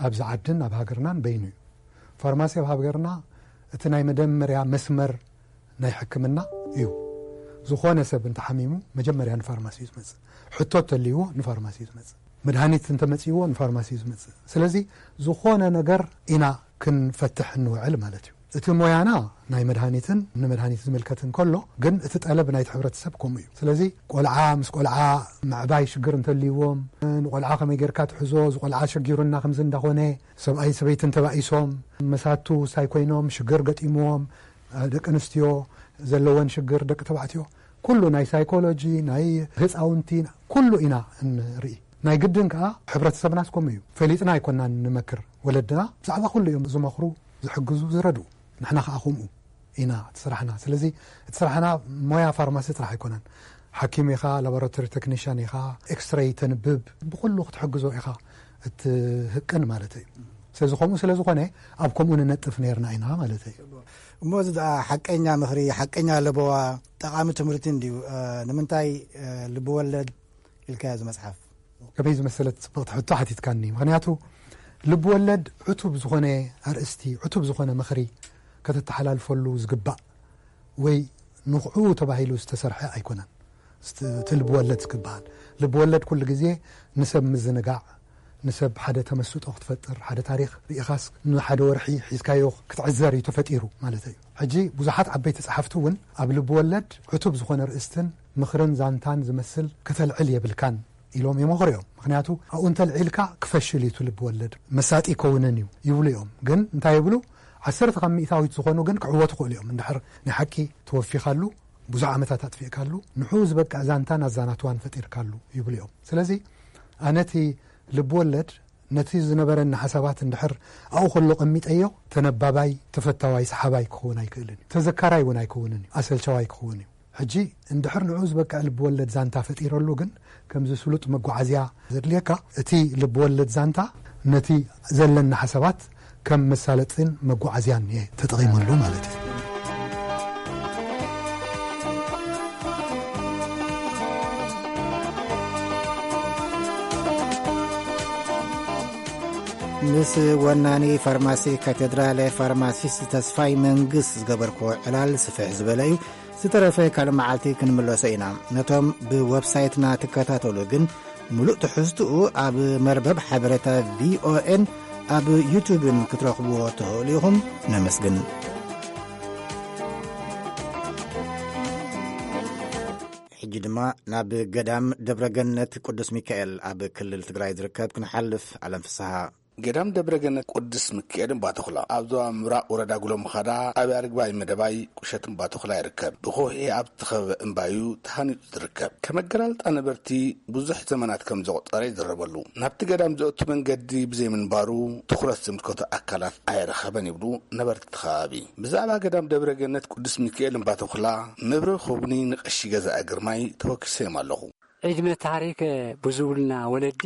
ኣብዚ ዓድን ኣብ ሃገርናን በይኑ እዩ። ፋርማሲ ኣብ ሃገርና እቲ ናይ መደመርያ መስመር ናይ ሕክምና እዩ። ዝኾነ ሰብ እንተሓሚሙ መጀመርያ ንፋርማሲ እዩ ዝመጽእ። ሕቶ እንተልይዎ ንፋርማሲ እዩ ዝመጽእ። መድሃኒት እንተመጽእዎ ንፋርማሲ እዩ ዝመጽእ። ስለዚ ዝኾነ ነገር ኢና ክንፈትሕ እንውዕል ማለት እዩ። እቲ ሞያና ናይ መድሃኒትን ንመድሃኒት ዝምልከትን ከሎ፣ ግን እቲ ጠለብ ናይቲ ሕብረተሰብ ከምኡ እዩ። ስለዚ ቆልዓ ምስ ቆልዓ ምዕባይ ሽግር እንተልይዎም፣ ንቆልዓ ከመይ ጌርካ ትሕዞ፣ እዚ ቆልዓ ሸጊሩና ከምዚ እንዳኾነ፣ ሰብኣይን ሰበይትን ተባኢሶም፣ መሳቱ ሳይ ኮይኖም ሽግር ገጢምዎም፣ ደቂ ኣንስትዮ ዘለወን ሽግር፣ ደቂ ተባዕትዮ፣ ኩሉ ናይ ሳይኮሎጂ፣ ናይ ህፃውንቲ፣ ኩሉ ኢና እንርኢ። ናይ ግድን ከዓ ሕብረተሰብናስ ከምኡ እዩ። ፈሊጥና ኣይኮናን ንመክር። ወለድና ብዛዕባ ኩሉ እዮም ዝመኽሩ፣ ዝሕግዙ፣ ዝረድኡ። ንሕና ከዓ ከምኡ ኢና እቲ ስራሕና። ስለዚ እቲ ስራሕና ሞያ ፋርማሲ ጥራሕ ኣይኮነን። ሓኪም ኢኻ፣ ላቦራቶሪ ቴክኒሽያን ኢኻ፣ ኤክስሬይ ተንብብ፣ ብኩሉ ክትሕግዞ ኢኻ እትህቅን ማለት እዩ። ስለዚ ከምኡ ስለ ዝኾነ ኣብ ከምኡ ንነጥፍ ነርና ኢና ማለት እዩ። እሞ እዚ ደኣ ሓቀኛ ምኽሪ፣ ሓቀኛ ለበዋ፣ ጠቓሚ ትምህርቲ እንድዩ። እ፣ ንምንታይ፣ እ፣ ልቢ ወለድ ኢልካዮ እዚ መጽሓፍ? ከመይ ዝመሰለት ጽብቕቲ ሕቶ ሓቲትካኒ። ምኽንያቱ ልቢ ወለድ ዕቱብ ዝኾነ ኣርእስቲ፣ ዕቱብ ዝኾነ ምኽሪ ከተተሓላልፈሉ ዝግባእ ወይ ንኽዑ ተባሂሉ ዝተሰርሐ ኣይኮነን። ስት-፣ እቲ ልቢ ወለድ ዝግባኣል። ልቢ ወለድ ኩሉ ግዜ ንሰብ ምዝንጋዕ፣ ንሰብ ሓደ ተመስጦ ክትፈጥር፣ ሓደ ታሪኽ ርኢኻስ ንሓደ ወርሒ ሒዝካዮ ክትዕዘር እዩ ተፈጢሩ ማለት እዩ። ሕጂ ብዙሓት ዓበይቲ ጸሓፍቲ እውን ኣብ ልቢ ወለድ ዕቱብ ዝኾነ ርእስትን ምኽርን ዛንታን ዝመስል ከተልዕል የብልካን ኢሎም ይመኽሩ እዮም። ምኽንያቱ ኣብኡ እንተልዒልካ ክፈሽል እዩ እቲ ልቢ ወለድ፣ መሳጢ ይከውንን እዩ ይብሉ እዮም። ግን እንታይ ይብሉ? ዓሰርተ ካብ ሚእታዊት ዝኾኑ ግን ክዕወቱ ይኽእሉ እዮም። እንድሕር ናይ ሓቂ ተወፊኻሉ፣ ብዙሕ ዓመታት ኣጥፊእካሉ፣ ንዕኡ ዝበቅዕ ዛንታን ኣዛናትዋን ፈጢርካሉ ይብሉ እዮም። ስለዚ ኣነ እቲ ልቢ ወለድ ነቲ ዝነበረኒ ሓሳባት እንድሕር ኣብኡ ከሎ ቀሚጠዮ፣ ተነባባይ፣ ተፈታዋይ፣ ሰሓባይ ክኸውን ኣይክእልን እዩ። ተዘካራይ እውን ኣይከውንን እዩ። ኣሰልቻዋይ ክኸውን እዩ። ሕጂ እንድሕር ንዕኡ ዝበቅዕ ልቢ ወለድ ዛንታ ፈጢረሉ ግን፣ ከምዚ ስሉጥ መጓዓዝያ ዘድልየካ፣ እቲ ልቢ ወለድ ዛንታ ነቲ ዘለኒ ሓሳባት ከም መሳለጥን መጓዓዝያን እየ ተጠቒመሉ ማለት እዩ። ምስ ወናኒ ፋርማሲ ካቴድራለ ፋርማሲስት ተስፋይ መንግስት ዝገበርክዎ ዕላል ስፍሕ ዝበለ እዩ። ዝተረፈ ካልእ መዓልቲ ክንምለሶ ኢና። ነቶም ብወብሳይትና ትከታተሉ ግን፣ ምሉእ ትሕዝትኡ ኣብ መርበብ ሓበሬታ ቪኦኤን ኣብ ዩቱብን ክትረኽብዎ ትኽእሉ ኢኹም። ነመስግን። ሕጂ ድማ ናብ ገዳም ደብረ ገነት ቅዱስ ሚካኤል ኣብ ክልል ትግራይ ዝርከብ ክንሓልፍ። ኣለም ፍስሃ። ገዳም ደብረ ገነት ቅዱስ ሚካኤል እምባተኹላ ኣብ ዞባ ምብራቕ ወረዳ ጉሎ ምኻዳ፣ ጣብያ ርግባይ መደባይ ቁሸት እምባተኹላ ይርከብ። ብከውሒ ኣብ ዝተኸበበ እምባዩ ተሃኒጹ ዝርከብ። ከም ኣገላልጻ ነበርቲ ብዙሕ ዘመናት ከም ዘቑጸረ ይዝረበሉ። ናብቲ ገዳም ዘእቱ መንገዲ ብዘይምንባሩ ትኹረት ዝምልከቶ ኣካላት ኣይረኸበን ይብሉ ነበርቲ እቲ ከባቢ። ብዛዕባ ገዳም ደብረ ገነት ቅዱስ ሚካኤል እምባተኹላ መብርሂ ክህቡኒ ንቀሺ ገዛኢ ግርማይ ተወኪሰዮም ኣለኹ። ዕድመ ታሪክ ብዙብልና ወለዲ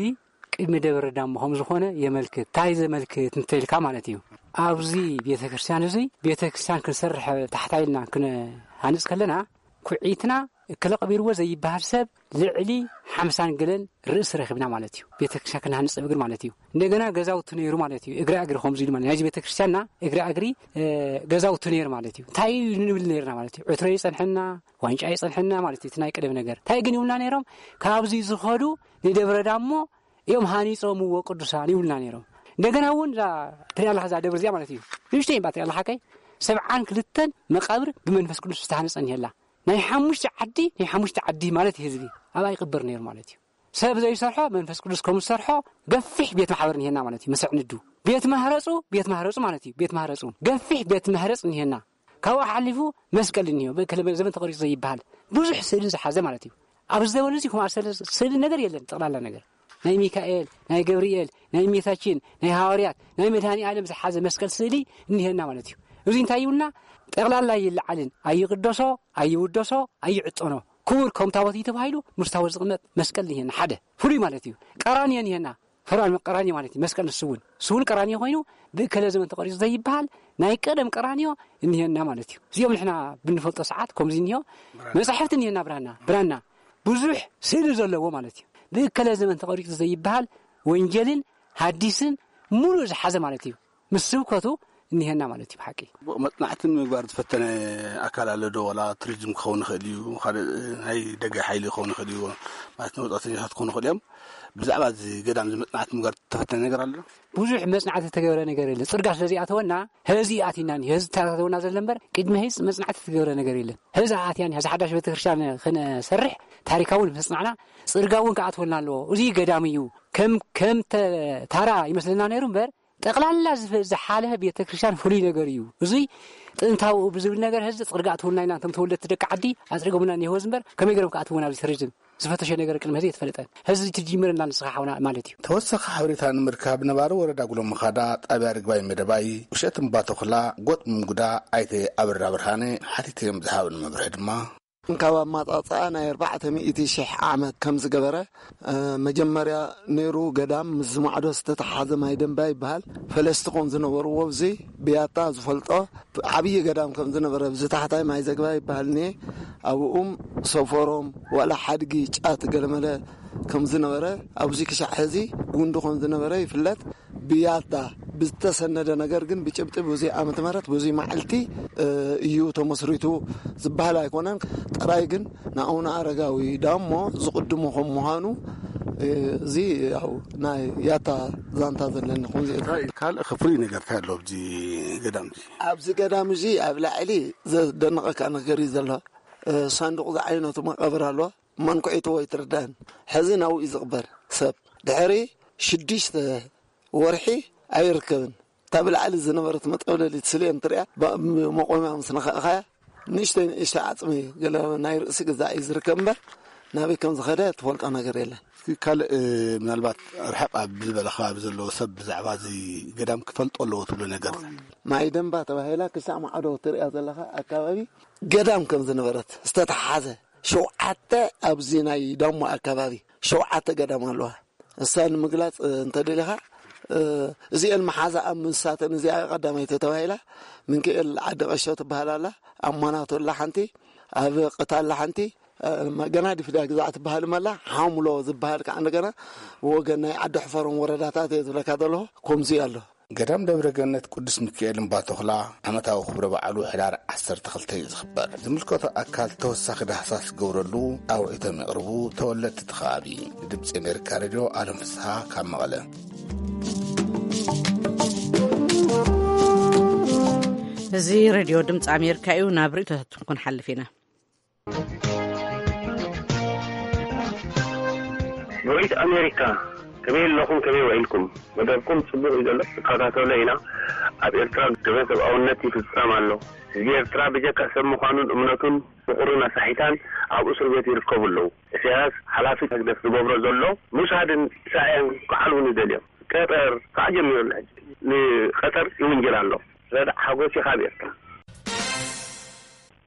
ቅድሚ ደብረ ዳሞ ከም ዝኾነ የመልክት። እንታይ ዘመልክት እንተልካ ማለት እዩ፣ ኣብዚ ቤተ ክርስቲያን እዚ ቤተ ክርስቲያን ክንሰርሕ ታሕታ ኢልና ክንሃንጽ ከለና፣ ኩዒትና ክለቕቢርዎ ዘይበሃል ሰብ ልዕሊ ሓምሳን ገለን ርእሲ ረኺብና ማለት እዩ። ቤተ ክርስቲያን ክንሃንጽ እግሪ ማለት እዩ። እንደገና ገዛውቲ ነይሩ ማለት እዩ። እግራ እግሪ ከምዚ ኢሉ ማለት ናይዚ ቤተ ክርስቲያንና እግራ እግሪ፣ እ፣ ገዛውቲ ነይሩ ማለት እዩ። እንታይ ንብል ነይርና ማለት እዩ? ዕትሮ ይጸንሐና፣ ዋንጫ ይጸንሐና ማለት እዩ። እቲ ናይ ቀደም ነገር። እንታይ ግን ይብሉና ነይሮም? ካብዚ ዝኸዱ ንደብረ ዳሞ እዮም ሃኒጾምዎ ቅዱሳን ይብሉና ነይሮም። እንደገና እውን እዛ ትሪኣ ኣለኻ እዛ ደብር እዚኣ ማለት እዩ። ንእሽተይ እምባ ትሪኣ ኣለኻ ከይ? ሰብዓን ክልተን መቃብር ብመንፈስ ቅዱስ ዝተሃነጸ እኒሀላ። ናይ ሓሙሽተ ዓዲ ናይ ሓሙሽተ ዓዲ ማለት እዩ። ህዝቢ ኣብኣ ይቕበር ነይሩ ማለት እዩ። ሰብ ዘይሰርሖ መንፈስ ቅዱስ ከም ዝሰርሖ ገፊሕ ቤት ማሕበር እኒሄና ማለት እዩ። መሰዕንዱ ቤት ማህረፁ ቤት ማህረፁ ማለት እዩ። ቤት ማህረፁ ገፊሕ ቤት ማህረፅ እኒሄና። ካብኡ ሓሊፉ መስቀል እኒሄ። ዘመን ተቐሪፁ ዘይበሃል ብዙሕ ስእሊ ዝሓዘ ማለት እዩ። ኣብዚ ዘበን እዚ ከምኣ ስእሊ ነገር የለን። ጠቕላላ ነገር ናይ ሚካኤል፣ ናይ ገብርኤል፣ ናይ እመቤታችን፣ ናይ ሃዋርያት፣ ናይ መድኃኔ ዓለም ዝሓዘ መስቀል ስእሊ እኒሄና ማለት እዩ። እዚ እንታይ ይብልና? ጠቕላላ ይለዓልን ኣይቕደሶ ኣይውደሶ ኣይዕጠኖ ክቡር ከም ታቦት እዩ ተባሂሉ ምስ ታቦት ዝቕመጥ መስቀል እኒሄና ሓደ ፍሉይ ማለት እዩ። ቀራንዮ እኒሄና። ፈርዖን ቀራንዮ ማለት እዩ። መስቀል ንሱ እውን ንሱ እውን ቀራንዮ ኮይኑ ብእከለ ዘመን ተቐሪፁ ዘይበሃል ናይ ቀደም ቀራንዮ እኒሄና ማለት እዩ። እዚኦም ንሕና ብንፈልጦ ሰዓት ከምዚ እኒሆ መጻሕፍቲ እኒሄና። ብራና ብራና ብዙሕ ስእሊ ዘለዎ ማለት እዩ። ብእከለ ዘመን ተቐሪፁ ዘይበሃል ወንጌልን ሃዲስን ሙሉእ ዝሓዘ ማለት እዩ። ምስ ስብከቱ እኒሄና ማለት እዩ። ብሓቂ መፅናዕቲ ንምግባር ዝፈተነ ኣካል ኣሎ ዶ? ዋላ ቱሪዝም ክኸውን ይኽእል እዩ፣ ካልእ ናይ ደገ ሓይሊ ክኸውን ይኽእል እዩ፣ ማለት ንወፃእተኛታት ክኾኑ ይኽእል እዮም። ብዛዕባ እዚ ገዳም እዚ መፅናዕቲ ምግባር ዝተፈተነ ነገር ኣሎ ዶ? ብዙሕ መፅናዕቲ ዝተገበረ ነገር የለ። ፅርጋ ስለዚ ኣተወና፣ ህዚ ኣቲና፣ ህዚ ተታተወና ዘሎ እምበር ቅድሚ ህዚ መፅናዕቲ ዝተገበረ ነገር የለን። ህዚ ኣትያን፣ ህዚ ሓዳሽ ቤተክርስትያን ክነሰርሕ ታሪካውን መፅናዕና፣ ፅርጋ እውን ክኣትወልና ኣለዎ። እዚ ገዳም እዩ። ከም ከም ተ- ታራ ይመስለና ነይሩ እምበር ጠቕላላ ዝፈ- ዝሓለፈ ቤተክርስትያን ፍሉይ ነገር እዩ። እዙይ ጥንታዊ ብዝብል ነገር ህዚ ፅርጋ ኣትወልና ኢና። እንቶም ተወለድቲ ደቂ ዓዲ ኣፅሪጎምና እኒሄወ እምበር ከመይ ገይሮም ክኣትውና ኣብዚ ቱሪዝም ዝፈተሸ ነገር ቅድሚ ህዚ የተፈለጠን። ህዚ ትጅምር እና ንስኻ ሓውና ማለት እዩ። ተወሳኺ ሓበሬታ ንምርካብ ነባሪ ወረዳ ጉሎ መኻዳ ጣብያ ርግባይ መደባይ ውሸት እምባተኹላ ጎጥ ምጉዳ ኣይተ ኣበራ ብርሃነ ሓቲተዮም ዝሃብን መብርሒ ድማ ካብ ኣማጻጽኣ ናይ ኣርባዕተ ሚእቲ ሽሕ ዓመት ከም ዝገበረ፣ እ፣ መጀመርያ ነይሩ ገዳም ምስ ዝማዕዶ ዝተተሓዘ ማይ ደንባ ይበሃል። ፈለስቲ ከም ዝነበርዎ፣ እዚ ብያታ ዝፈልጦ ዓብዪ ገዳም ከም ዝነበረ፣ ብዚ ታሕታይ ማይ ዘግባ ይበሃል እኒሄ። ኣብኡም ሰፈሮም ዋላ ሓድጊ ጫት ገለመለ ከም ዝነበረ፣ ኣብዚ ክሻዕ ሕዚ ጉንዲ ከም ዝነበረ ይፍለጥ። ብያታ ብዝተሰነደ ነገር ግን ብጭብጢ ብዙይ ዓመተ ምህረት ብዙይ መዓልቲ፣ እ፣ እዩ ተመስሪቱ ዝበሃል ኣይኮነን። ጥራይ ግን ንኣቡነ ኣረጋዊ ዳሞ ዝቕድሙ ከም ምዃኑ፣ እ፣ እዚ ያው ናይ ያታ ዛንታ ዘለኒ ኹን ካልእ ከፍሪ ነገር እንታይ ኣሎ ኣብዚ ገዳም እዚ? ኣብዚ ገዳም እዚ ኣብ ላዕሊ ዘደንቐካ ነገር እዩ ዘሎ። እ፣ ሳንዱቕ ዝዓይነቱ መቃብር ኣሎ። መንኩዒቱ ወይ ትርዳን ሕዚ ናብኡ እዩ ዝቕበር ሰብ። ድሕሪ ሽዱሽተ ወርሒ ኣይርከብን። እታ ብላዕሊ ዝነበረት መጠውለሊት ስልየን ትሪኣ፣ ብ-፣ መቆምያ ምስ ነኸእኻያ፣ ንእሽተይ ንእሽተይ ዓጽሚ ገለ ናይ ርእሲ ግዛዕ እዩ ዝርከብ እምበር፣ ናበይ ከም ዝኸደ ትፈልጦ ነገር የለን። እስኪ ካልእ፣ ምናልባት ርሕቕ ኣብ ዝበለ ከባቢ ዘለዎ ሰብ ብዛዕባ እዚ ገዳም ክፈልጦ ኣለዎ ትብሎ ነገር? ማይ ደንባ ተባሂላ ክሳዕ ማዕዶ ትሪኣ ዘለኻ ኣካባቢ ገዳም ከም ዝነበረት ዝተተሓዘ ሸውዓተ ኣብዚ ናይ ዳሞ ኣካባቢ ሸውዓተ ገዳም ኣለዋ። እሳ ንምግላጽ፣ እ፣ እንተደሊኻ፣ እ፣ እዚኤን መሓዛ ኣብ ምንሳተን እዚኣ ቀዳመይቲ ተባሂላ፣ ምንክኤል ዓዲ ቀሾ ትበሃል ኣላ፣ ኣብ ማናቶ ኣላ ሓንቲ፣ ኣብ ቅታ ኣላ ሓንቲ፣ እ፣ ገና ዲፍዳ ግዛዕ ትበሃል መላ፣ ሓሙሎ ዝበሃል ከዓ እንደገና ወገን ናይ ዓዲ ሕፈሮም ወረዳታት እየ ዝብለካ ዘለኹ፣ ከምዚ ኣሎ። ገዳም ደብረ ገነት ቅዱስ ሚካኤል እምባ ተኹላ ዓመታዊ ክብረ በዓሉ ሕዳር ዓሰርተ ክልተ እዩ ዝኽበር። ዝምልከቶ ኣካል ተወሳኺ ዳህሳስ ክገብረሉ ኣውዒቶም የቕርቡ ተወለድቲ እቲ ከባቢ። ንድምፂ ኣሜሪካ ሬድዮ ኣለም ፍስሃ ካብ መቐለ። እዚ ሬድዮ ድምፂ ኣሜሪካ እዩ። ናብ ርእይቶታትኩም ክንሓልፍ ኢና። ቮይስ ኣሜሪካ፣ ከመይ ኣለኹም? ከመይ ውዒልኩም? መደብኩም ጽቡቕ እዩ ዘሎ፣ ንከታተሎ ኢና። ኣብ ኤርትራ ግህሰት ሰብኣውነት ይፍጸም ኣሎ። ህዝቢ ኤርትራ ብጀካ ሰብ ምዃኑን እምነቱን ፍቕሩን ኣሳሒታን ኣብ እስር ቤት ይርከቡ ኣለዉ። ኢሳያስ ሓላፊ ህግደፍ ዝገብሮ ዘሎ ምውሳድን ስዕያን ክዓልቡን ይደልዮም። ቀጠር ከዓ ጀሚሩ ኣሎ። ሕጂ ንቀጠር ይውንጀል ኣሎ። ረዳእ ሓጎስ እዩ ካብ ኤርትራ።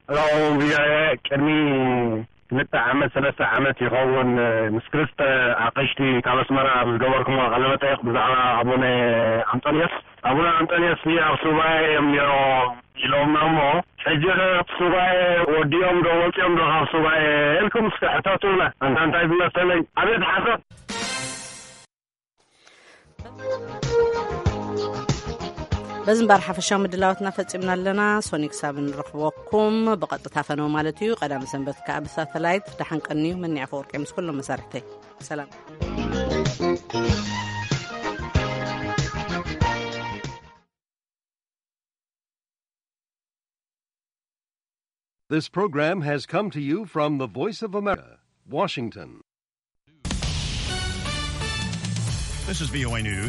ሄሎ ቪኦኤ፣ ቅድሚ ክልተ ዓመት ሰለስተ ዓመት ይኸውን ምስ ክልተ ኣቕሽቲ ካብ ኣስመራ ኣብ ዝገበርኩሞ ቃለ መጠይቕ ብዛዕባ ኣቡነ ኣንጦንዮስ፣ ኣቡነ ኣንጦንዮስ ኣብ ሱባኤ እዮም ነይሮም ኢሎምና እሞ፣ ሕጂ ኸ እቲ ሱባኤ ወዲኦም ዶ ወፂኦም ዶ ካብ ሱባኤ ኢልኩም እስከ ሕተቱና። ኣንታ እንታይ ዝመሰለኝ ኣቤት ሓሶት። በዚ እምበር ሓፈሻዊ ምድላዋትና ፈጺምና ኣለና። ሶኒ ክሳብ ንረኽበኩም ብቐጥታ ፈነው ማለት እዩ። ቀዳም ሰንበት ከኣ ብሳተላይት። ደሓን ቀንዩ። መኒያ ኣፈወርቂ ምስ ኩሎም መሳርሕተይ ሰላም። This program has come to you from the Voice of America, Washington. This is V O A News.